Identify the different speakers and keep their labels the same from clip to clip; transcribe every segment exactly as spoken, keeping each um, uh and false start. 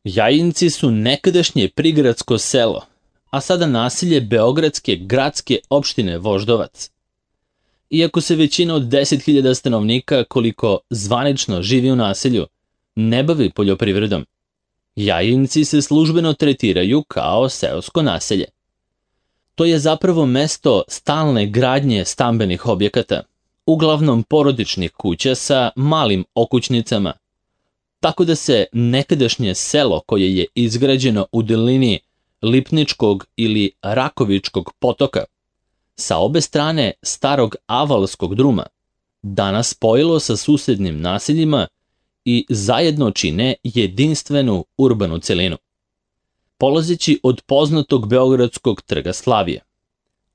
Speaker 1: Jajinci su nekadašnje prigradsko selo, a sada naselje beogradske gradske opštine Voždovac. Iako se većina od deset hiljada stanovnika, koliko zvanično živi u naselju, ne bavi poljoprivredom, Jajinci se službeno tretiraju kao seosko naselje. To je zapravo mesto stalne gradnje stambenih objekata, uglavnom porodičnih kuća sa malim okućnicama, tako da se nekadašnje selo koje je izgrađeno u dolini Lipničkog ili Rakovičkog potoka, sa obe strane starog Avalskog druma, danas spojilo sa susednim naseljima i zajedno čine jedinstvenu urbanu celinu. Polazeći od poznatog beogradskog trga Slavije,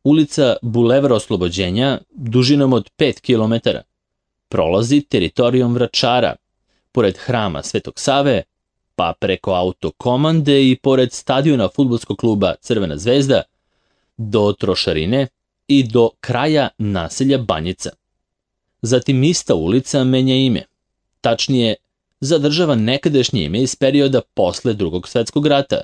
Speaker 1: ulica Bulevar Oslobođenja, dužinom od pet kilometara, prolazi teritorijom Vračara, pored hrama Svetog Save, pa preko autokomande i pored stadiona fudbalskog kluba Crvena zvezda, do Trošarine i do kraja naselja Banjica. Zatim ista ulica menja ime, tačnije zadržava nekadašnje ime iz perioda posle Drugog svetskog rata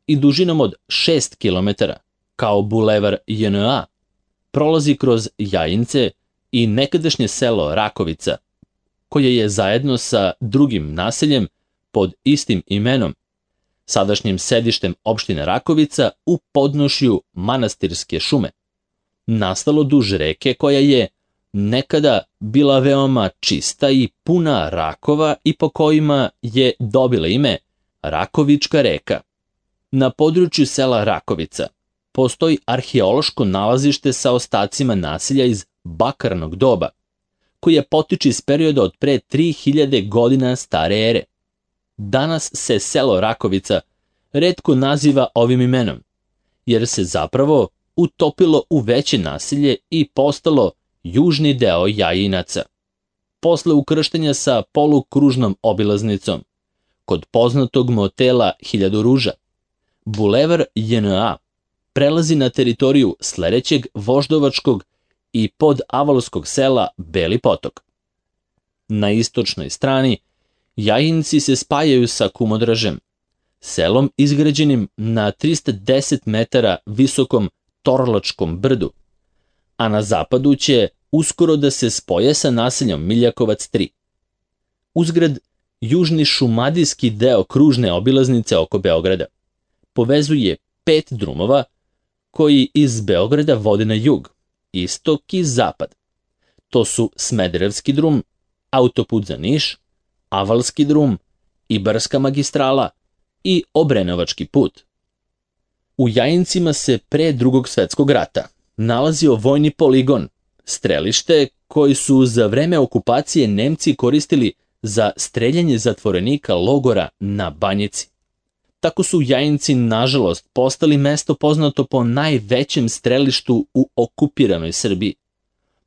Speaker 1: i dužinom od šest kilometara, kao Bulevar J N A, prolazi kroz Jajince i nekadašnje selo Rakovica, koje je zajedno sa drugim naseljem pod istim imenom, sadašnjim sedištem opštine Rakovica u podnošju Manastirske šume, nastalo duž reke koja je nekada bila veoma čista i puna rakova i po kojima je dobila ime Rakovička reka. Na području sela Rakovica postoji arheološko nalazište sa ostacima naselja iz bakarnog doba, koje potiče iz perioda od pre tri hiljade godina stare ere. Danas se selo Rakovica retko naziva ovim imenom, jer se zapravo utopilo u veće naselje i postalo južni deo Jajinaca. Posle ukrštenja sa polukružnom obilaznicom, kod poznatog motela Hiljadu ruža, Bulevar J N A prelazi na teritoriju sledećeg voždovačkog i podavalskog sela Beli potok. Na istočnoj strani Jajinci se spajaju sa Kumodražem, selom izgrađenim na trista deset metara visokom Torlačkom brdu, a na zapadu će uskoro da se spoje sa naseljom Miljakovac tri. Uzgred, južni šumadijski deo kružne obilaznice oko Beograda povezuje pet drumova koji iz Beograda vode na jug, istok i zapad. To su Smederevski drum, autoput za Niš, Avalski drum, Ibarska magistrala i Obrenovački put. U Jajincima se pre Drugog svetskog rata nalazio vojni poligon, strelište koji su za vreme okupacije Nemci koristili za streljanje zatvorenika logora na Banjici. Tako su Jajinci, nažalost, postali mesto poznato po najvećem strelištu u okupiranoj Srbiji,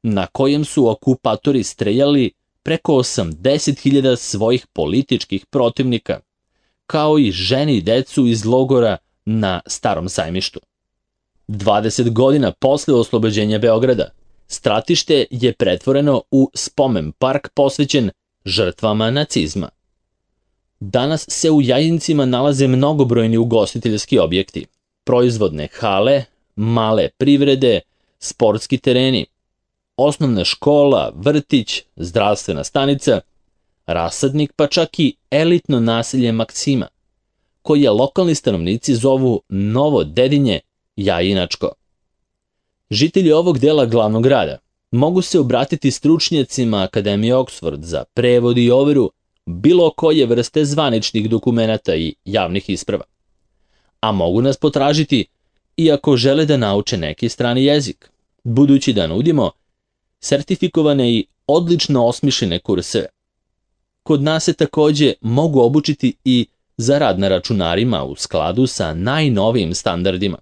Speaker 1: na kojem su okupatori streljali preko osamdeset hiljada svojih političkih protivnika, kao i žene i decu iz logora na Starom sajmištu. dvadeset godina posle oslobođenja Beograda, stratište je pretvoreno u spomen park posvećen žrtvama nacizma. Danas se u Jajincima nalaze mnogobrojni ugostiteljski objekti, proizvodne hale, male privrede, sportski tereni, osnovna škola, vrtić, zdravstvena stanica, rasadnik, pa čak i elitno naselje Maksima, koje lokalni stanovnici zovu Novo Dedinje Jajinačko. Žitelji ovog dela glavnog grada mogu se obratiti stručnjacima Akademije Oksford za prevod i overu bilo koje vrste zvaničnih dokumenata i javnih isprava, a mogu nas potražiti i ako žele da nauče neki strani jezik, budući da nudimo sertifikovane i odlično osmišljene kurseve. Kod nas se takođe mogu obučiti i za rad na računarima u skladu sa najnovijim standardima,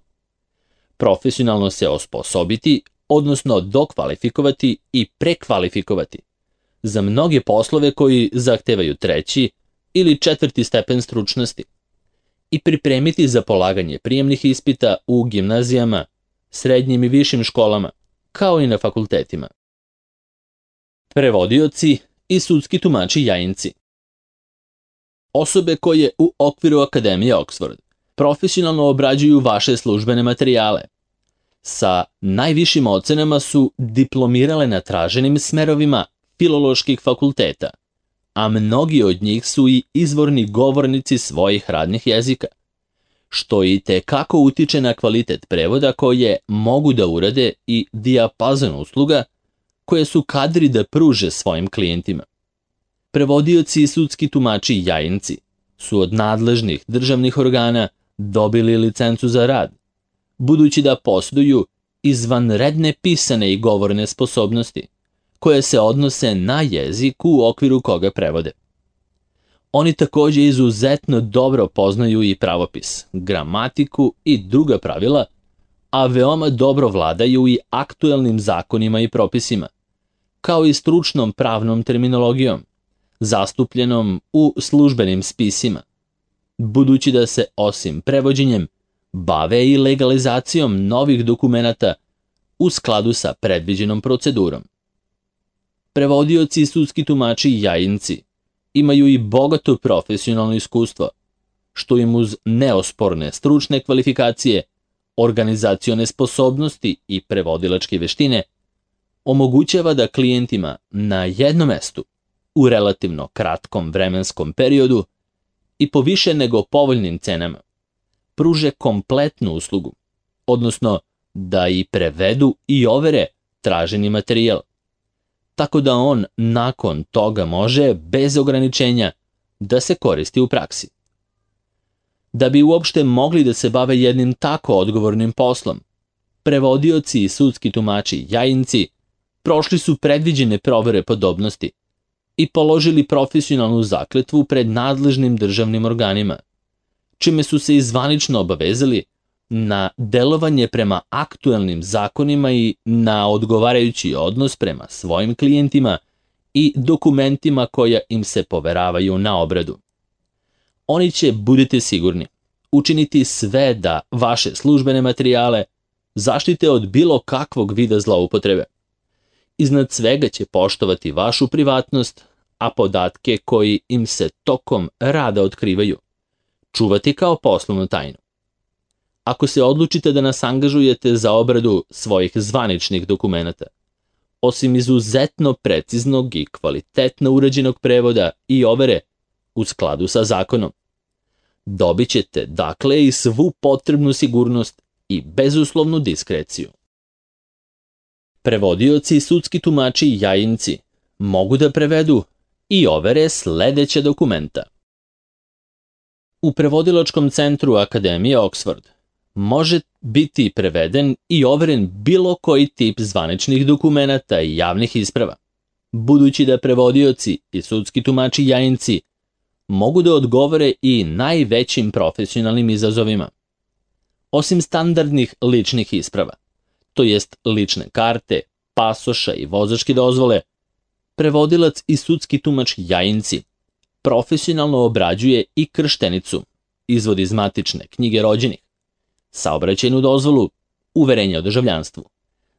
Speaker 1: profesionalno se osposobiti, odnosno dokvalifikovati i prekvalifikovati za mnoge poslove koji zahtevaju treći ili četvrti stepen stručnosti i pripremiti za polaganje prijemnih ispita u gimnazijama, srednjim i višim školama, kao i na fakultetima. Prevodioci i sudski tumači Jajinci. osobe koje u okviru Akademije Oxford profesionalno obrađuju vaše službene materijale. Sa najvišim ocenama su diplomirale na traženim smerovima filoloških fakulteta, a mnogi od njih su i izvorni govornici svojih radnih jezika, što i tekako utiče na kvalitet prevoda koje mogu da urade i dijapazon usluga koje su kadri da pruže svojim klijentima. Prevodioci i sudski tumači jajinci su od nadležnih državnih organa dobili licencu za rad, budući da posjeduju izvanredne pisane i govorne sposobnosti, koje se odnose na jezik u okviru koga prevode. Oni također izuzetno dobro poznaju i pravopis, gramatiku i druga pravila, a veoma dobro vladaju i aktuelnim zakonima i propisima, kao i stručnom pravnom terminologijom, zastupljenom u službenim spisima, budući da se osim prevođenjem bave i legalizacijom novih dokumenata u skladu sa predviđenom procedurom. Prevodioci i sudski tumači i jajinci imaju i bogato profesionalno iskustvo, što im uz neosporne stručne kvalifikacije, organizacione sposobnosti i prevodilačke veštine omogućava da klijentima na jednom mestu u relativno kratkom vremenskom periodu i po više nego povoljnim cenama pruže kompletnu uslugu, odnosno da i prevedu i overe traženi materijal, tako da on nakon toga može bez ograničenja da se koristi u praksi. Da bi uopšte mogli da se bave jednim tako odgovornim poslom, prevodioci i sudski tumači jajinci prošli su predviđene provere podobnosti i položili profesionalnu zakletvu pred nadležnim državnim organima, čime su se izvanično obavezali na delovanje prema aktuelnim zakonima i na odgovarajući odnos prema svojim klijentima i dokumentima koja im se poveravaju na obradu. Oni će, budite sigurni, učiniti sve da vaše službene materijale zaštite od bilo kakvog vida zloupotrebe. Iznad svega će poštovati vašu privatnost, a podatke koji im se tokom rada otkrivaju čuvati kao poslovnu tajnu. Ako se odlučite da nas angažujete za obradu svojih zvaničnih dokumenata, osim izuzetno preciznog i kvalitetno urađenog prevoda i overe u skladu sa zakonom, dobit ćete dakle i svu potrebnu sigurnost i bezuslovnu diskreciju. Prevodioci i sudski tumači i jajinci mogu da prevedu i overe sledeća dokumenta. U prevodilačkom centru Akademije Oxford može biti preveden i overen bilo koji tip zvaničnih dokumenata i javnih isprava, budući da prevodioci i sudski tumači jajinci mogu da odgovore i najvećim profesionalnim izazovima. Osim standardnih ličnih isprava, to jest lične karte, pasoša i vozačke dozvole, prevodilac i sudski tumač jajinci profesionalno obrađuje i krštenicu, izvod iz matične knjige rođenih, saobraćajnu dozvolu, uverenje o državljanstvu,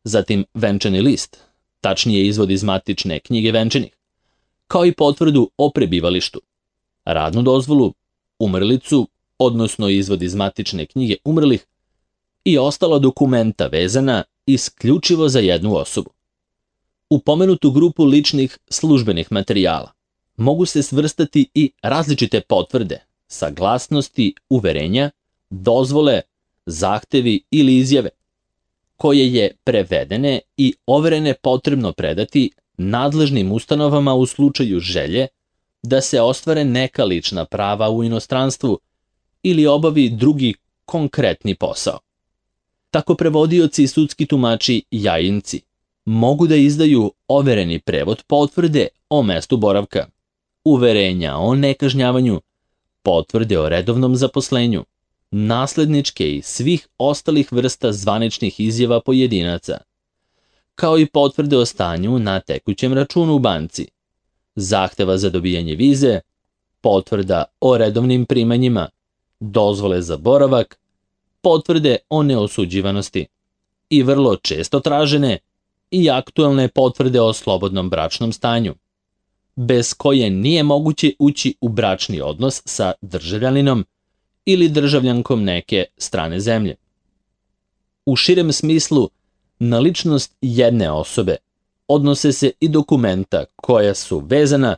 Speaker 1: zatim venčani list, tačnije izvod iz matične knjige venčanih, kao i potvrdu o prebivalištu, radnu dozvolu, umrlicu, odnosno izvod iz matične knjige umrlih i ostala dokumenta vezana isključivo za jednu osobu. U pomenutu grupu ličnih službenih materijala mogu se svrstati i različite potvrde, saglasnosti, uverenja, dozvole, zahtevi ili izjave, koje je prevedene i overene potrebno predati nadležnim ustanovama u slučaju želje da se ostvare neka lična prava u inostranstvu ili obavi drugi konkretni posao. Tako prevodioci i sudski tumači jajinci mogu da izdaju overeni prevod potvrde o mestu boravka, uverenja o nekažnjavanju, potvrde o redovnom zaposlenju, nasledničke i svih ostalih vrsta zvaničnih izjava pojedinaca, kao i potvrde o stanju na tekućem računu u banci, zahteva za dobijanje vize, potvrda o redovnim primanjima, dozvole za boravak, potvrde o neosuđivanosti i vrlo često tražene i aktuelne potvrde o slobodnom bračnom stanju, bez koje nije moguće ući u bračni odnos sa državljaninom ili državljankom neke strane zemlje. U širem smislu, na ličnost jedne osobe odnose se i dokumenta koja su vezana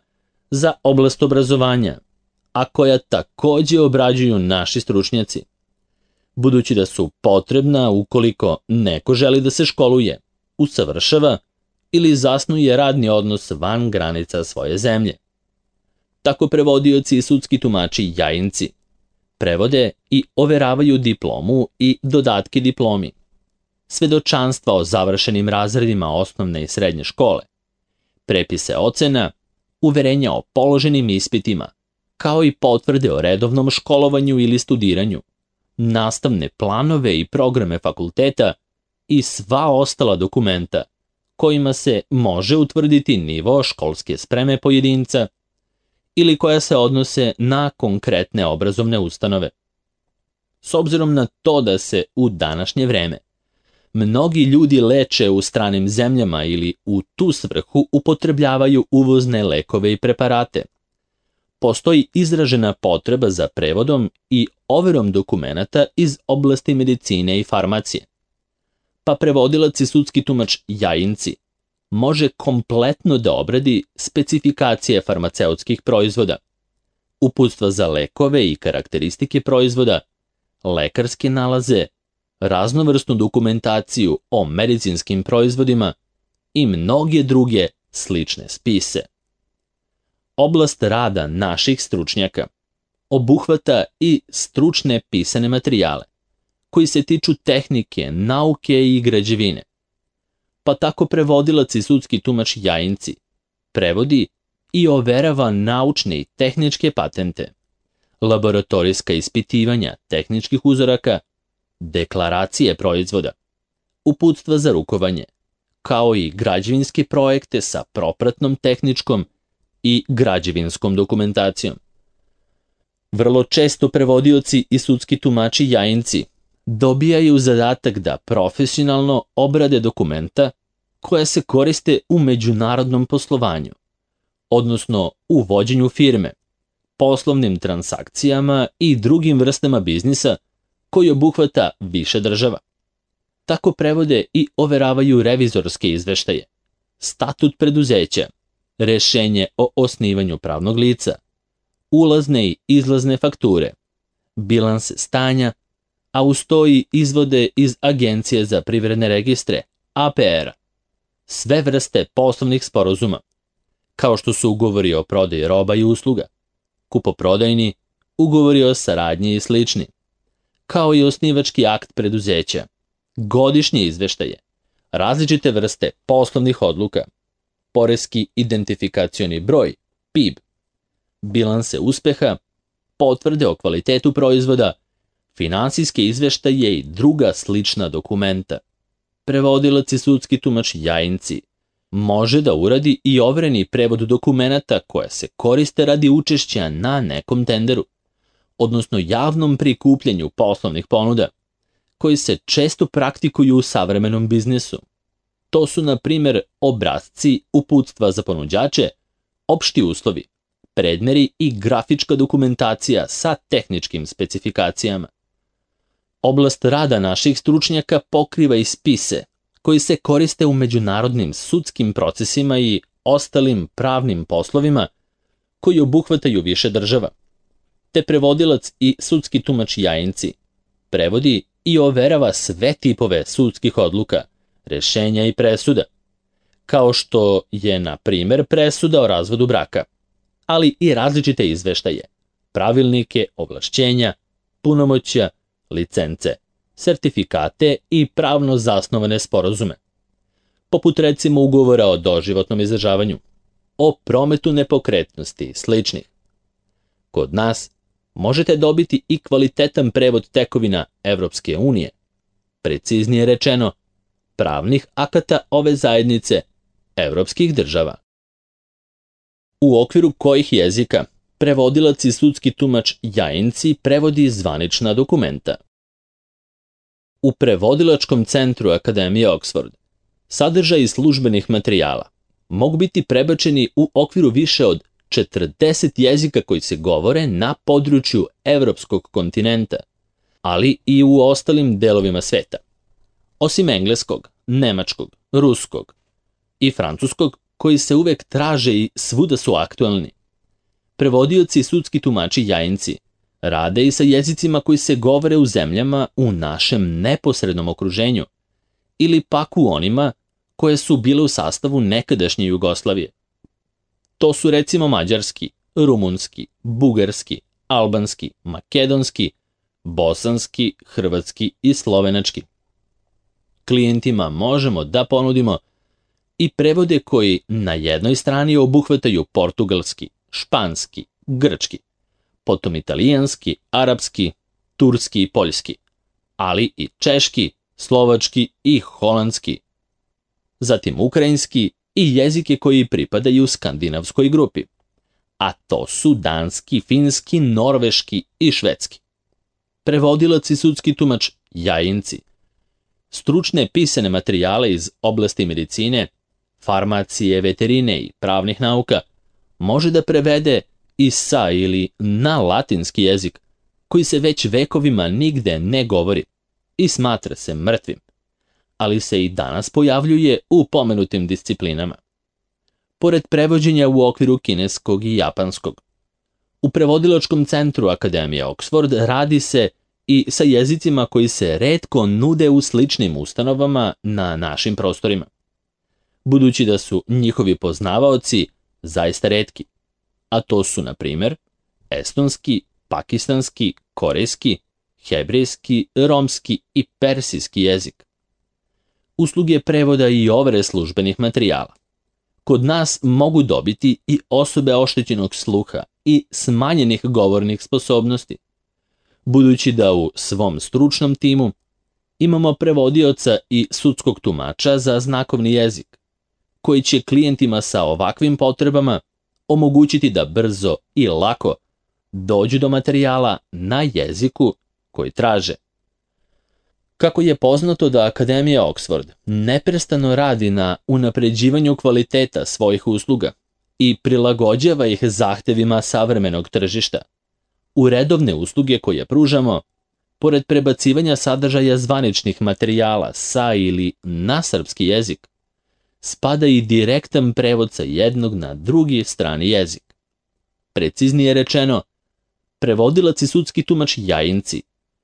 Speaker 1: za oblast obrazovanja, a koja takođe obrađuju naši stručnjaci, budući da su potrebna ukoliko neko želi da se školuje, usavršava ili zasnuje radni odnos van granica svoje zemlje. Tako prevodioci i sudski tumači Jajinci prevode i overavaju diplomu i dodatke diplomi, svedočanstva o završenim razredima osnovne i srednje škole, prepise ocena, uverenja o položenim ispitima, kao i potvrde o redovnom školovanju ili studiranju, nastavne planove i programe fakulteta i sva ostala dokumenta kojima se može utvrditi nivo školske spreme pojedinca ili koja se odnose na konkretne obrazovne ustanove. S obzirom na to da se u današnje vreme mnogi ljudi leče u stranim zemljama ili u tu svrhu upotrebljavaju uvozne lekove i preparate, postoji izražena potreba za prevodom i overom dokumenata iz oblasti medicine i farmacije. Pa prevodilac i sudski tumač Jajinci može kompletno da obradi specifikacije farmaceutskih proizvoda, uputstva za lekove i karakteristike proizvoda, lekarske nalaze, raznovrsnu dokumentaciju o medicinskim proizvodima i mnoge druge slične spise. Oblast rada naših stručnjaka obuhvata i stručne pisane materijale koji se tiču tehnike, nauke i građevine. Pa tako prevodilac i sudski tumač Jajinci prevodi i overava naučne i tehničke patente, laboratorijska ispitivanja tehničkih uzoraka, deklaracije proizvoda, uputstva za rukovanje, kao i građevinske projekte sa propratnom tehničkom i građevinskom dokumentacijom. Vrlo često prevodioci i sudski tumači Jajinci dobijaju zadatak da profesionalno obrade dokumenta koja se koriste u međunarodnom poslovanju, odnosno u vođenju firme, poslovnim transakcijama i drugim vrstama biznisa koji obuhvata više država. Tako prevode i overavaju revizorske izveštaje, statut preduzeća, rešenje o osnivanju pravnog lica, ulazne i izlazne fakture, bilanse stanja, a uz to i izvode iz Agencije za privredne registre, A P R-a, sve vrste poslovnih sporazuma, kao što su ugovori o prodaji roba i usluga, kupoprodajni, ugovori o saradnji i slični, kao i osnivački akt preduzeća, godišnje izveštaje, različite vrste poslovnih odluka, poreski identifikacioni broj, P I B, bilanse uspeha, potvrde o kvalitetu proizvoda, finansijske izveštaje i druga slična dokumenta. Prevodilac i sudski tumač Jajinci može da uradi i overeni prevod dokumenata koja se koriste radi učešća na nekom tenderu, odnosno javnom prikupljanju poslovnih ponuda, koji se često praktikuju u savremenom biznisu. To su, na primjer, obrasci, uputstva za ponuđače, opšti uslovi, predmeri i grafička dokumentacija sa tehničkim specifikacijama. Oblast rada naših stručnjaka pokriva i spise koji se koriste u međunarodnim sudskim procesima i ostalim pravnim poslovima koji obuhvataju više država. Te prevodilac i sudski tumač Jajinci prevodi i overava sve tipove sudskih odluka, rešenja i presuda, kao što je, na primjer, presuda o razvodu braka, ali i različite izveštaje, pravilnike, ovlašćenja, punomoćja, licence, sertifikate i pravno zasnovane sporazume, poput recimo ugovora o doživotnom izdržavanju, o prometu nepokretnosti i sličnih. Kod nas možete dobiti i kvalitetan prevod tekovina Evropske unije, preciznije rečeno, pravnih akata ove zajednice evropskih država. U okviru kojih jezika prevodilac i sudski tumač Jajinci prevodi zvanična dokumenta. U prevodilačkom centru Akademije Oxford sadržaj službenih materijala, mogu biti prebačeni u okviru više od četrdeset jezika koji se govore na području evropskog kontinenta, ali i u ostalim delovima sveta. Osim engleskog, nemačkog, ruskog i francuskog, koji se uvek traže i svuda su aktualni. Prevodioci i sudski tumači jajinci rade i sa jezicima koji se govore u zemljama u našem neposrednom okruženju ili pak u onima koje su bile u sastavu nekadašnje Jugoslavije. To su recimo mađarski, rumunski, bugarski, albanski, makedonski, bosanski, hrvatski i slovenački. Klijentima možemo da ponudimo i prevode koji na jednoj strani obuhvataju portugalski, španski, grčki, potom italijanski, arapski, turski i poljski, ali i češki, slovački i holandski, zatim ukrajinski i jezike koji pripadaju skandinavskoj grupi, a to su danski, finski, norveški i švedski. Prevodilac i sudski tumač jajinci stručne pisane materijale iz oblasti medicine, farmacije, veterine i pravnih nauka može da prevede i sa ili na latinski jezik koji se već vekovima nigde ne govori i smatra se mrtvim, ali se i danas pojavljuje u pomenutim disciplinama. Pored prevođenja u okviru kineskog i japanskog, u prevodilačkom centru Akademije Oxford radi se i sa jezicima koji se retko nude u sličnim ustanovama na našim prostorima, budući da su njihovi poznavaoci zaista retki, a to su, na primjer, estonski, pakistanski, korejski, hebrejski, romski i persijski jezik. Usluge prevoda i overe službenih materijala kod nas mogu dobiti i osobe oštećenog sluha i smanjenih govornih sposobnosti, budući da u svom stručnom timu imamo prevodioca i sudskog tumača za znakovni jezik, koji će klijentima sa ovakvim potrebama omogućiti da brzo i lako dođu do materijala na jeziku koji traže. Kako je poznato da Akademija Oxford neprestano radi na unapređivanju kvaliteta svojih usluga i prilagođava ih zahtevima savremenog tržišta, u redovne usluge koje pružamo, pored prebacivanja sadržaja zvaničnih materijala sa ili na srpski jezik, spada i direktan prevod sa jednog na drugi strani jezik. Preciznije rečeno, prevodilac i sudski tumač jajinci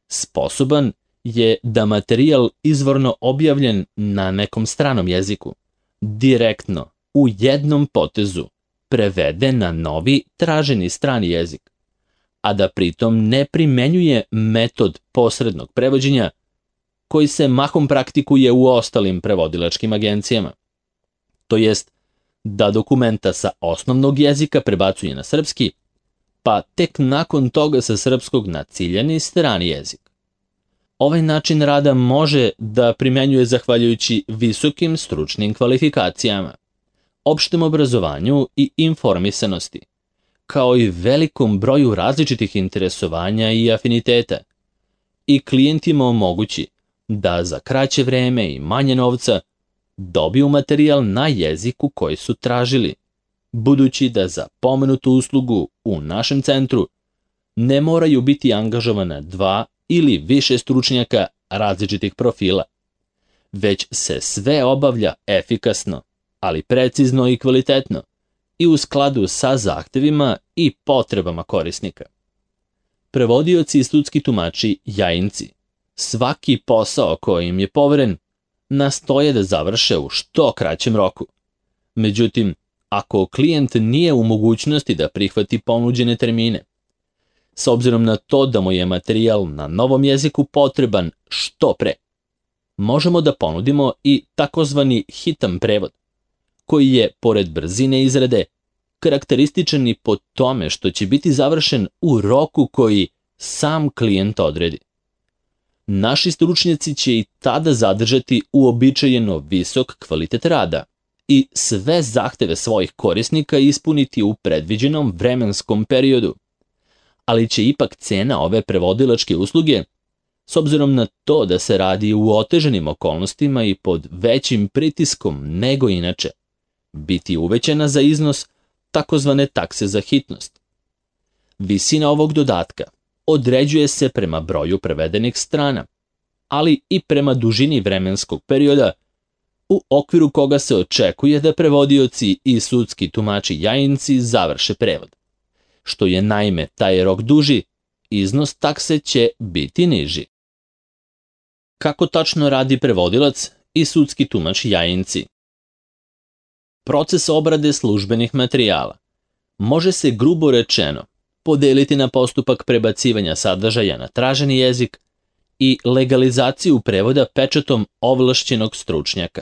Speaker 1: sposoban je da materijal izvorno objavljen na nekom stranom jeziku direktno u jednom potezu prevede na novi traženi strani jezik, a da pritom ne primenjuje metod posrednog prevođenja koji se mahom praktikuje u ostalim prevodilačkim agencijama. To jest da dokumenta sa osnovnog jezika prebacuje na srpski, pa tek nakon toga sa srpskog na ciljani strani jezik. Ovaj način rada može da primenjuje zahvaljujući visokim stručnim kvalifikacijama, opštem obrazovanju i informisanosti, kao i velikom broju različitih interesovanja i afiniteta, i klijentima omogući da za kraće vreme i manje novca dobiju materijal na jeziku koji su tražili, budući da za pomenutu uslugu u našem centru ne moraju biti angažovana dva ili više stručnjaka različitih profila, već se sve obavlja efikasno, ali precizno i kvalitetno i u skladu sa zahtevima i potrebama korisnika. Prevodioci i sudski tumači jajinci svaki posao koji im je poveren nastoje da završe u što kraćem roku. Međutim, ako klijent nije u mogućnosti da prihvati ponuđene termine, s obzirom na to da mu je materijal na novom jeziku potreban što pre, možemo da ponudimo i takozvani hitan prevod, koji je, pored brzine izrade, karakterističan i po tome što će biti završen u roku koji sam klijent odredi. Naši stručnjaci će i tada zadržati uobičajeno visok kvalitet rada i sve zahteve svojih korisnika ispuniti u predviđenom vremenskom periodu, ali će ipak cena ove prevodilačke usluge, s obzirom na to da se radi u oteženim okolnostima i pod većim pritiskom nego inače, biti uvećana za iznos takozvane takse za hitnost. Visina ovog dodatka određuje se prema broju prevedenih strana, ali i prema dužini vremenskog perioda u okviru koga se očekuje da prevodioci i sudski tumači jajinci završe prevod. Što je naime taj rok duži, iznos takse će biti niži. Kako tačno radi prevodilac i sudski tumač jajinci? Proces obrade službenih materijala može se grubo rečeno podeliti na postupak prebacivanja sadržaja na traženi jezik i legalizaciju prevoda pečatom ovlašćenog stručnjaka.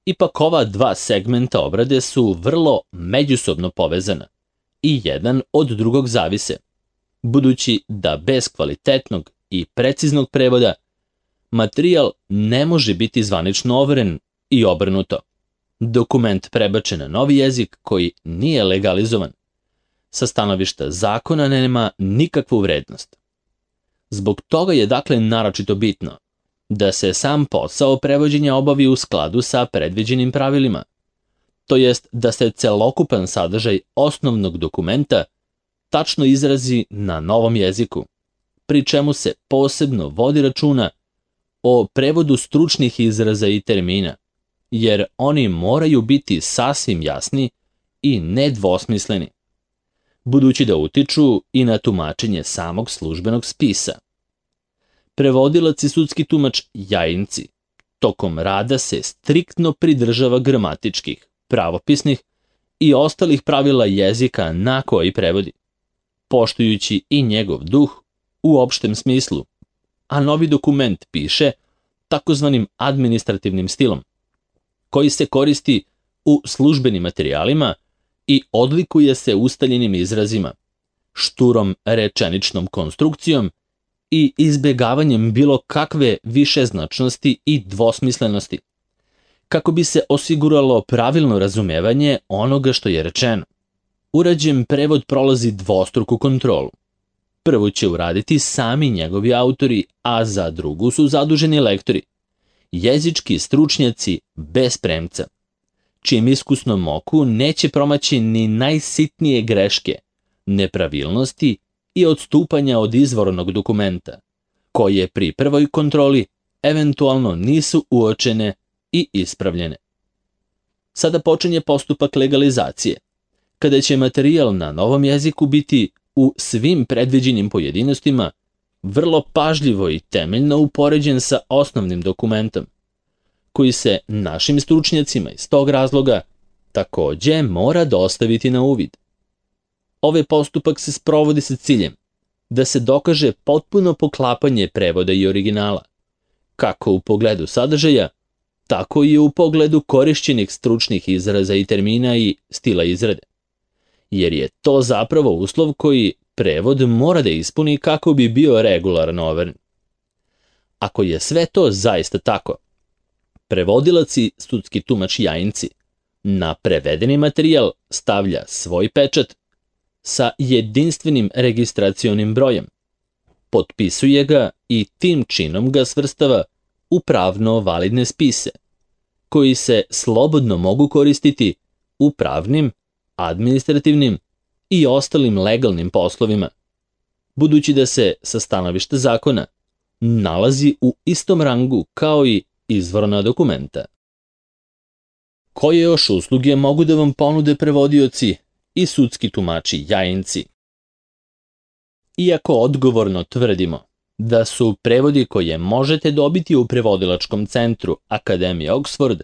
Speaker 1: Ipak ova dva segmenta obrade su vrlo međusobno povezana i jedan od drugog zavise, budući da bez kvalitetnog i preciznog prevoda materijal ne može biti zvanično overen i obrnuto. Dokument prebačen na novi jezik koji nije legalizovan sa stanovišta zakona nema nikakvu vrednost. Zbog toga je dakle naročito bitno da se sam posao prevođenja obavi u skladu sa predviđenim pravilima, to jest da se celokupan sadržaj osnovnog dokumenta tačno izrazi na novom jeziku, pri čemu se posebno vodi računa o prevodu stručnih izraza i termina, jer oni moraju biti sasvim jasni i nedvosmisleni, budući da utiču i na tumačenje samog službenog spisa. Prevodilac i sudski tumač jajinci tokom rada se striktno pridržava gramatičkih, pravopisnih i ostalih pravila jezika na koji prevodi, poštujući i njegov duh u opštem smislu, a novi dokument piše takozvanim administrativnim stilom, koji se koristi u službenim materijalima i odlikuje se ustaljenim izrazima, šturom rečeničnom konstrukcijom i izbegavanjem bilo kakve višeznačnosti i dvosmislenosti, kako bi se osiguralo pravilno razumevanje onoga što je rečeno. Urađen prevod prolazi dvostruku kontrolu. Prvo će uraditi sami njegovi autori, a za drugu su zaduženi lektori, jezički stručnjaci bez premca, čijem iskusnom oku neće promaći ni najsitnije greške, nepravilnosti i odstupanja od izvornog dokumenta, koje pri prvoj kontroli eventualno nisu uočene i ispravljene. Sada počinje postupak legalizacije, kada će materijal na novom jeziku biti u svim predviđenim pojedinostima vrlo pažljivo i temeljno upoređen sa osnovnim dokumentom, koji se našim stručnjacima iz tog razloga takođe mora dostaviti na uvid. Ovaj postupak se sprovodi sa ciljem da se dokaže potpuno poklapanje prevoda i originala, kako u pogledu sadržaja, tako i u pogledu korišćenih stručnih izraza i termina i stila izrade, jer je to zapravo uslov koji prevod mora da ispuni kako bi bio regularno overen. Ako je sve to zaista tako, prevodilac i sudski tumač jajinci na prevedeni materijal stavlja svoj pečat sa jedinstvenim registracionim brojem, potpisuje ga i tim činom ga svrstava u pravno validne spise, koji se slobodno mogu koristiti u pravnim, administrativnim i ostalim legalnim poslovima, budući da se sa stanovišta zakona nalazi u istom rangu kao i izvorna dokumenta. Koje još usluge mogu da vam ponude prevodioci i sudski tumači jajinci? Iako odgovorno tvrdimo da su prevodi koje možete dobiti u prevodilačkom centru Akademije Oxford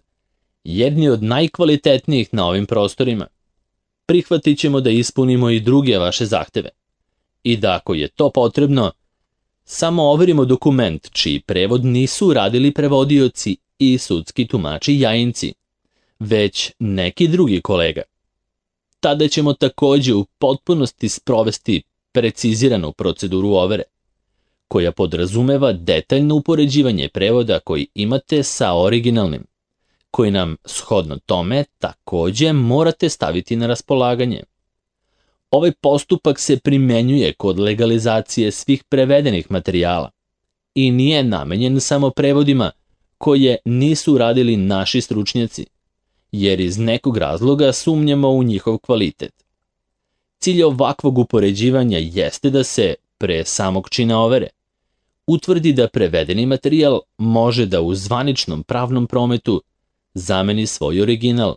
Speaker 1: jedni od najkvalitetnijih na ovim prostorima, prihvatit ćemo da ispunimo i druge vaše zahteve i da ako je to potrebno, samo overimo dokument čiji prevod nisu radili prevodioci i sudski tumači jajinci, već neki drugi kolega. Tada ćemo takođe u potpunosti sprovesti preciziranu proceduru overe, koja podrazumeva detaljno upoređivanje prevoda koji imate sa originalnim, koji nam shodno tome takođe morate staviti na raspolaganje. Ovaj postupak se primenjuje kod legalizacije svih prevedenih materijala i nije namenjen samo prevodima koje nisu radili naši stručnjaci, jer iz nekog razloga sumnjamo u njihov kvalitet. Cilj ovakvog upoređivanja jeste da se, pre samog čina overe, utvrdi da prevedeni materijal može da u zvaničnom pravnom prometu zameni svoj original,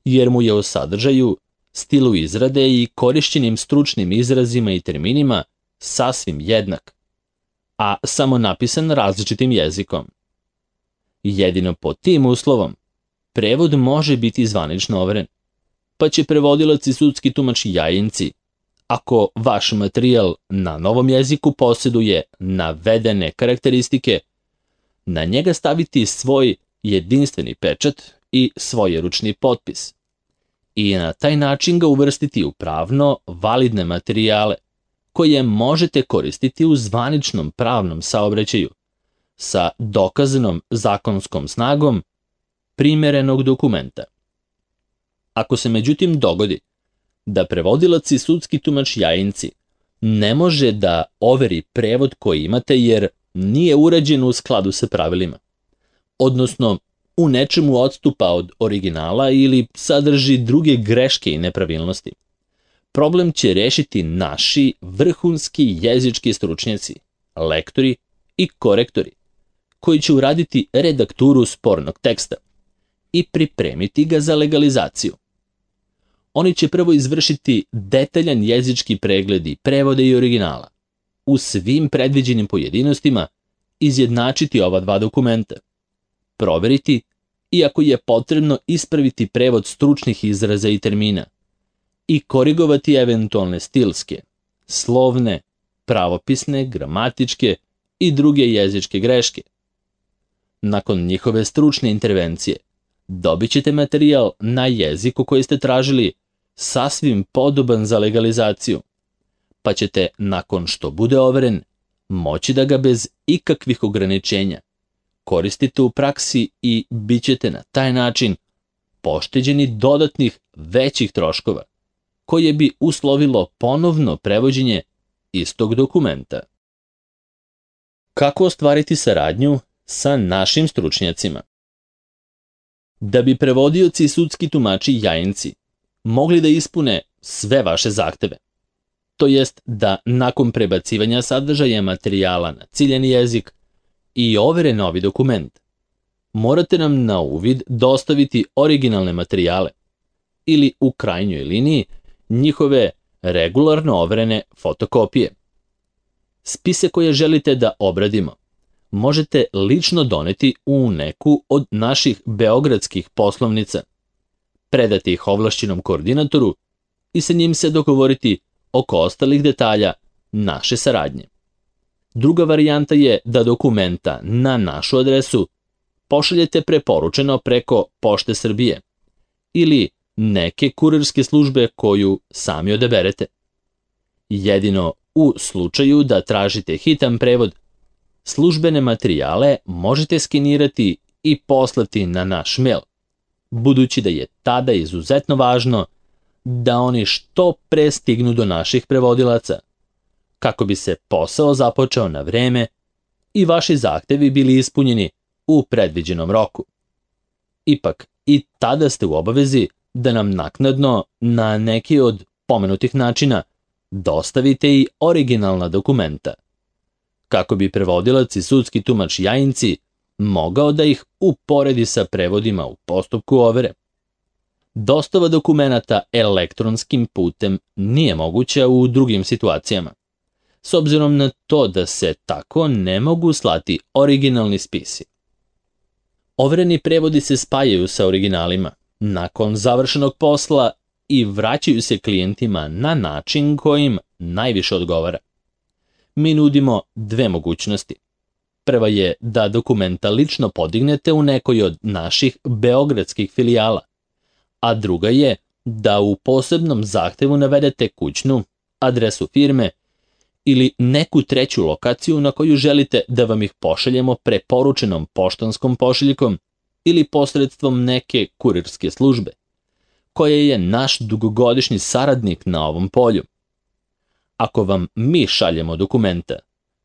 Speaker 1: jer mu je u sadržaju, stilu izrade i korišćenim stručnim izrazima i terminima sasvim jednak, a samo napisan različitim jezikom. Jedino pod tim uslovom prevod može biti zvanično overen, pa će prevodilac i sudski tumač Jajinci, ako vaš materijal na novom jeziku posjeduje navedene karakteristike, na njega staviti svoj jedinstveni pečat i svojeručni potpis i na taj način ga uvrstiti u pravno validne materijale koje možete koristiti u zvaničnom pravnom saobraćaju sa dokazanom zakonskom snagom primerenog dokumenta. Ako se međutim dogodi da prevodilac i sudski tumač Jajinci ne može da overi prevod koji imate jer nije urađen u skladu sa pravilima, odnosno u nečemu odstupa od originala ili sadrži druge greške i nepravilnosti, problem će rešiti naši vrhunski jezički stručnjaci, lektori i korektori, koji će uraditi redakturu spornog teksta i pripremiti ga za legalizaciju. Oni će prvo izvršiti detaljan jezički pregled i prevode i originala, u svim predviđenim pojedinostima izjednačiti ova dva dokumenta, proveriti i ako je potrebno ispraviti prevod stručnih izraza i termina i korigovati eventualne stilske, slovne, pravopisne, gramatičke i druge jezičke greške. Nakon njihove stručne intervencije dobit ćete materijal na jeziku koji ste tražili sasvim podoban za legalizaciju, pa ćete, nakon što bude overen, moći da ga bez ikakvih ograničenja koristite u praksi i bit ćete na taj način pošteđeni dodatnih većih troškova, koje bi uslovilo ponovno prevođenje istog dokumenta. Kako ostvariti saradnju sa našim stručnjacima? Da bi prevodioci i sudski tumači Jajinci mogli da ispune sve vaše zahteve, to jest da nakon prebacivanja sadržaja materijala na ciljani jezik i overe novi dokument, morate nam na uvid dostaviti originalne materijale ili u krajnjoj liniji njihove regularno overene fotokopije. Spise koje želite da obradimo možete lično doneti u neku od naših beogradskih poslovnica, predati ih ovlašćenom koordinatoru i sa njim se dogovoriti oko ostalih detalja naše saradnje. Druga varijanta je da dokumenta na našu adresu pošaljete preporučeno preko Pošte Srbije ili neke kurirske službe koju sami odaberete. Jedino u slučaju da tražite hitan prevod, službene materijale možete skenirati i poslati na naš mail, budući da je tada izuzetno važno da oni što pre stignu do naših prevodilaca, kako bi se posao započeo na vreme i vaši zahtevi bili ispunjeni u predviđenom roku. Ipak, i tada ste u obavezi da nam naknadno na neki od pomenutih načina dostavite i originalna dokumenta, kako bi prevodilac i sudski tumač Jajinci mogao da ih uporedi sa prevodima u postupku overe. Dostava dokumenata elektronskim putem nije moguća u drugim situacijama, s obzirom na to da se tako ne mogu slati originalni spisi. Overeni prevodi se spajaju sa originalima nakon završenog posla i vraćaju se klijentima na način kojim najviše odgovara. Mi nudimo dve mogućnosti. Prva je da dokumenta lično podignete u nekoj od naših beogradskih filijala, a druga je da u posebnom zahtevu navedete kućnu, adresu firme ili neku treću lokaciju na koju želite da vam ih pošaljemo preporučenom poštanskom pošiljkom ili posredstvom neke kurirske službe, koja je naš dugogodišnji saradnik na ovom polju. Ako vam mi šaljemo dokumenta,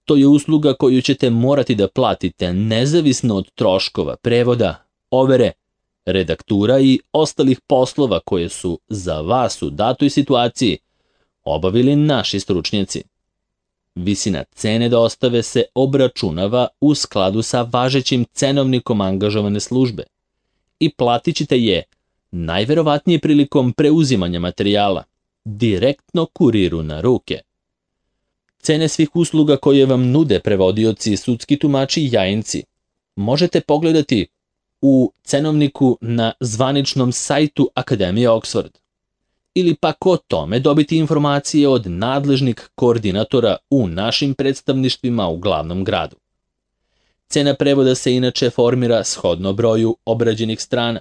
Speaker 1: to je usluga koju ćete morati da platite nezavisno od troškova prevoda, overe redaktura i ostalih poslova koje su za vas u datoj situaciji obavili naši stručnjaci. Visina cene dostave se obračunava u skladu sa važećim cenovnikom angažovane službe i platit ćete je najverovatnije prilikom preuzimanja materijala, direktno kuriru na ruke. Cene svih usluga koje vam nude prevodioci, sudski tumači i jajinci možete pogledati u cenovniku na zvaničnom sajtu Akademije Oxford ili pak o tome dobiti informacije od nadležnih koordinatora u našim predstavništvima u glavnom gradu. Cena prevoda se inače formira shodno broju obrađenih strana,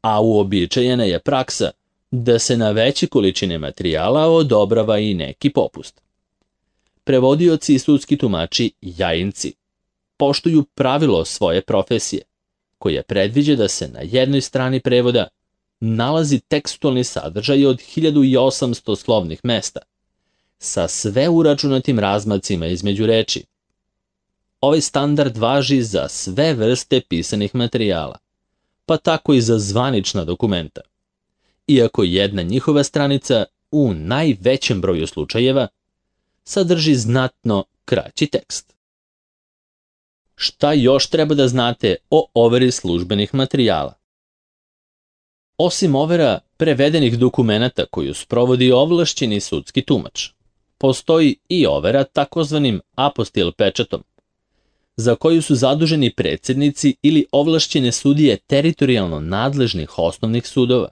Speaker 1: a uobičajena je praksa da se na veće količine materijala odobrava i neki popust. Prevodioci i sudski tumači jajinci poštuju pravilo svoje profesije, koje predviđa da se na jednoj strani prevoda nalazi tekstualni sadržaj od hiljadu osamsto slovnih mesta, sa sve uračunatim razmacima između reči. Ovaj standard važi za sve vrste pisanih materijala, pa tako i za zvanična dokumenta, iako jedna njihova stranica u najvećem broju slučajeva sadrži znatno kraći tekst. Šta još treba da znate o overi službenih materijala? Osim overa prevedenih dokumenata koju sprovodi ovlašćeni sudski tumač, postoji i overa takozvanim apostil pečatom, za koju su zaduženi predsjednici ili ovlašćene sudije teritorijalno nadležnih osnovnih sudova.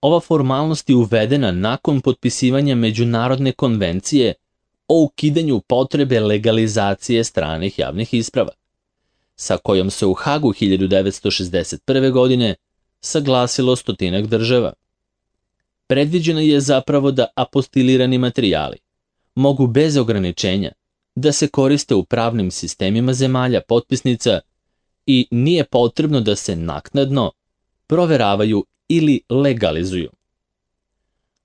Speaker 1: Ova formalnost je uvedena nakon potpisivanja Međunarodne konvencije o ukidanju potrebe legalizacije stranih javnih isprava, sa kojom se u Hagu hiljadu devetsto šezdeset prve. godine saglasilo stotinak država. Predviđeno je zapravo da apostilirani materijali mogu bez ograničenja da se koriste u pravnim sistemima zemalja potpisnica i nije potrebno da se naknadno proveravaju ili legalizuju.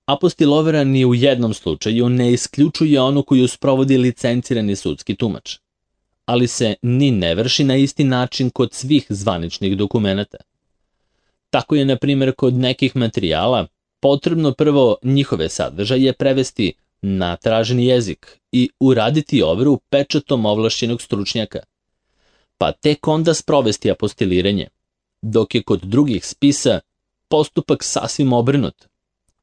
Speaker 1: Apostilovera ni u jednom slučaju ne isključuje onu koju sprovodi licencirani sudski tumač, ali se ni ne vrši na isti način kod svih zvaničnih dokumenata. Tako je, na primjer, kod nekih materijala potrebno prvo njihove sadržaje prevesti na traženi jezik i uraditi overu pečatom ovlašćenog stručnjaka, pa tek onda sprovesti apostiliranje, dok je kod drugih spisa postupak sasvim obrnut,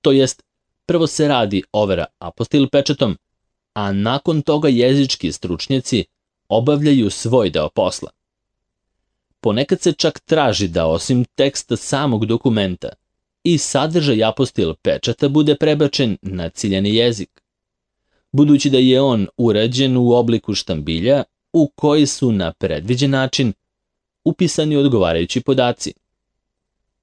Speaker 1: to jest prvo se radi overa apostil pečatom, a nakon toga jezički stručnjaci obavljaju svoj deo posla. Ponekad se čak traži da osim teksta samog dokumenta i sadržaj apostil pečata bude prebačen na ciljani jezik, budući da je on urađen u obliku štambilja u koji su na predviđen način upisani odgovarajući podaci.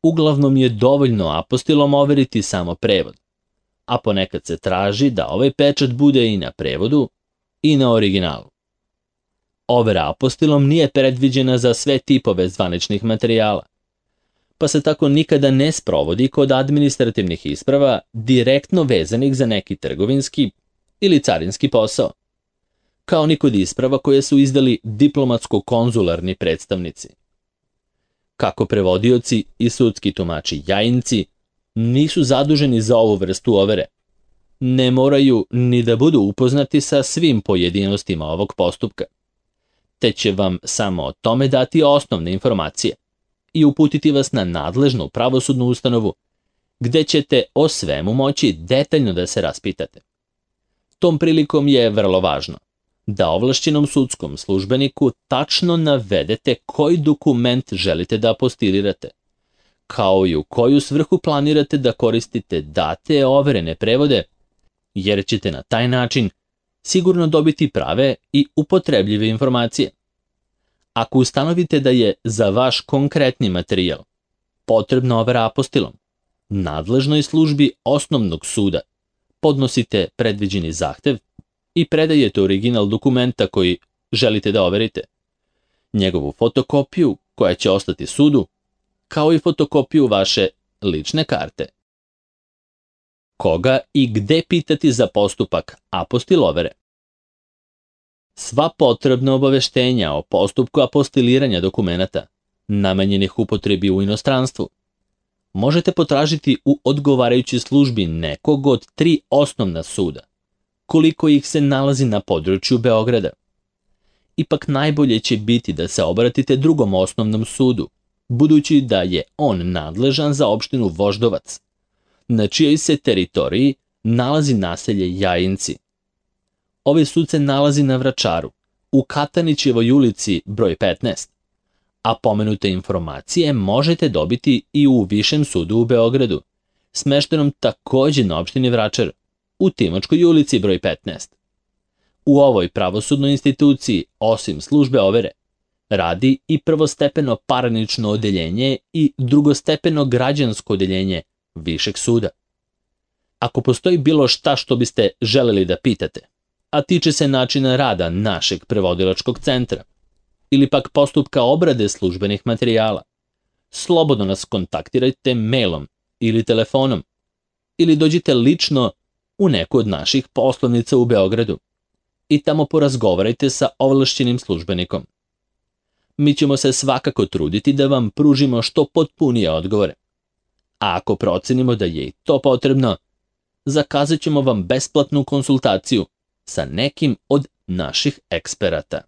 Speaker 1: Uglavnom je dovoljno apostilom overiti samo prevod, a ponekad se traži da ovaj pečat bude i na prevodu i na originalu. Overa apostilom nije predviđena za sve tipove zvaničnih materijala, pa se tako nikada ne sprovodi kod administrativnih isprava direktno vezanih za neki trgovinski ili carinski posao, kao ni kod isprava koje su izdali diplomatsko-konzularni predstavnici. Kako prevodioci i sudski tumači jajinci nisu zaduženi za ovu vrstu overe, ne moraju ni da budu upoznati sa svim pojedinostima ovog postupka, te će vam samo o tome dati osnovne informacije i uputiti vas na nadležnu pravosudnu ustanovu, gde ćete o svemu moći detaljno da se raspitate. Tom prilikom je vrlo važno da ovlašćenom sudskom službeniku tačno navedete koji dokument želite da apostilirate, kao i u koju svrhu planirate da koristite date overene prevode, jer ćete na taj način sigurno dobiti prave i upotrebljive informacije. Ako ustanovite da je za vaš konkretni materijal potrebna overa apostilom, nadležnoj službi osnovnog suda podnosite predviđeni zahtev i predajete original dokumenta koji želite da overite, njegovu fotokopiju koja će ostati sudu, kao i fotokopiju vaše lične karte. Koga i gde pitati za postupak apostil overe? Sva potrebna obaveštenja o postupku apostiliranja dokumenata namenjenih upotrebi u inostranstvu. Možete potražiti u odgovarajućoj službi nekog od tri osnovna suda, koliko ih se nalazi na području Beograda. Ipak najbolje će biti da se obratite drugom osnovnom sudu, budući da je on nadležan za opštinu Voždovac, na čijoj se teritoriji nalazi naselje Jajinci. Ovaj sud se nalazi na Vračaru, u Katanićevoj ulici broj petnaest, a pomenute informacije možete dobiti i u Višem sudu u Beogradu, smeštenom takođe na opštini Vračar, u Timočkoj ulici broj petnaest. U ovoj pravosudnoj instituciji, osim službe overe, radi i prvostepeno parnično odeljenje i drugostepeno građansko odeljenje Višeg suda. Ako postoji bilo šta što biste želeli da pitate, a tiče se načina rada našeg prevodilačkog centra, ili pak postupka obrade službenih materijala, slobodno nas kontaktirajte mailom ili telefonom, ili dođite lično u neku od naših poslovnica u Beogradu i tamo porazgovarajte sa ovlašćenim službenikom. Mi ćemo se svakako truditi da vam pružimo što potpunije odgovore. A ako procenimo da je i to potrebno, zakazat ćemo vam besplatnu konsultaciju sa nekim od naših eksperata.